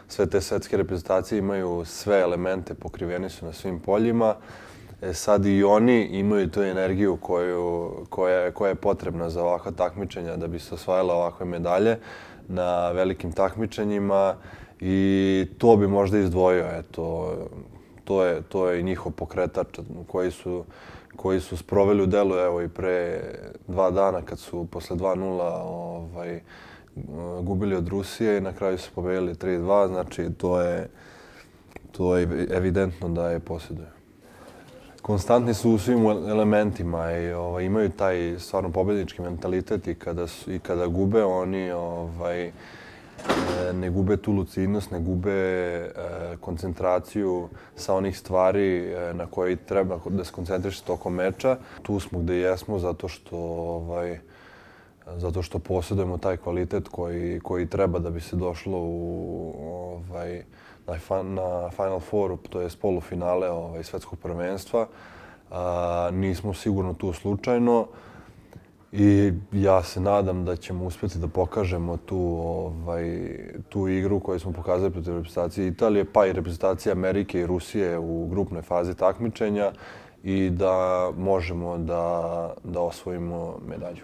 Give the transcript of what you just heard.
sve te svetske reprezentacije imaju sve elemente, pokriveni su na svim poljima. Sad i oni imaju tu energiju koja je potrebna za ovakva takmičenja da bi se osvajale ovakve medalje na velikim takmičenjima i to bi možda izdvojio. Eto, to je i njihov pokretač koji su sproveli u delu evo i pre 2 dana kad su posle 2:0 gubili od Rusije i na kraju su pobedili 3:2. Znači to je evidentno da je posjeduju. Konstantni su u svim elementima i imaju taj stvarno pobednički mentalitet i kada gube oni ne gube tu lucidnost, ne gube koncentraciju sa onih stvari na koje treba da se koncentriše tokom meča. Tu smo gde jesmo zato što posjedujemo taj kvalitet koji treba da bi se došlo na Final Fouru, to je polufinale svetskog prvenstva. Nismo sigurno tu slučajno i ja se nadam da ćemo uspjeti da pokažemo tu igru koju smo pokazali protiv reprezentacije Italije, pa i reprezentacije Amerike i Rusije u grupnoj fazi takmičenja i da možemo da osvojimo medalju.